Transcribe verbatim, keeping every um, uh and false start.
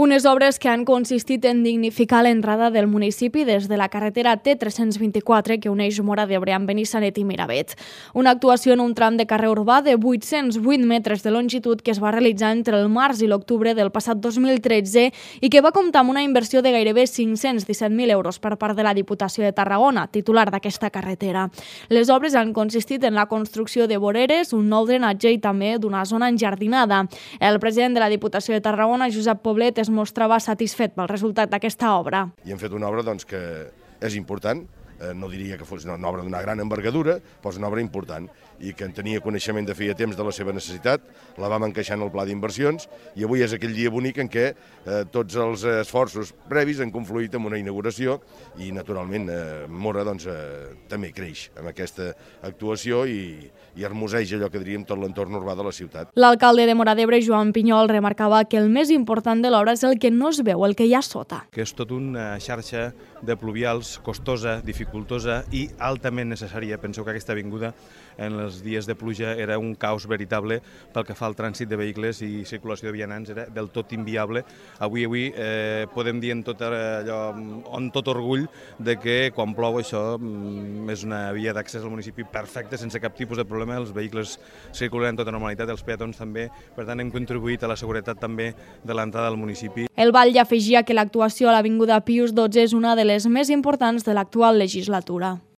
Unes obres que han consistit en dignificar l'entrada del municipi des de la carretera T tres-cents vint-i-quatre que uneix Móra d'Ebre amb Benissanet i Miravet. Una actuació en un tram de carrer urbà de vuit-cents vuit metres de longitud que es va realitzar entre el març i l'octubre del passat dos mil tretze i que va comptar amb una inversió de gairebé cinc-cents disset mil euros per part de la Diputació de Tarragona, titular d'aquesta carretera. Les obres han consistit en la construcció de voreres, un nou drenatge i també d'una zona enjardinada. El president de la Diputació de Tarragona, Josep Poblet, es mostrava satisfet pel resultat d'aquesta obra. I hem fet una obra doncs, que és important, eh, no diria que fos una obra d'una gran envergadura, però és una obra important i que en tenia coneixement de feia temps de la seva necessitat, la vam encaixar en el pla d'inversions i avui és aquell dia bonic en què eh, tots els esforços previs han confluït en una inauguració i naturalment eh, Móra doncs, eh, també creix amb aquesta actuació i, i hermoseja allò que diríem tot l'entorn urbà de la ciutat. L'alcalde de Móra d'Ebre, Joan Pinyol, remarcava que el més important de l'obra és el que no es veu, el que hi ha sota. Que és tot una xarxa de pluvials costosa, dificultosa i altament necessària. Penseu que aquesta avinguda en els dies de pluja era un caos veritable pel que fa al trànsit de vehicles i circulació de vianants, era del tot inviable. Avui avui eh, podem dir en tot, allò, amb tot orgull de que quan plou això és una via d'accés al municipi perfecta, sense cap tipus de problema, els vehicles circulen en tota normalitat, els peatons també, per tant hem contribuït a la seguretat també de l'entrada al municipi. El batlle afegia que l'actuació a l'Avinguda Pius dotze és una de les més importants de l'actual legislatura.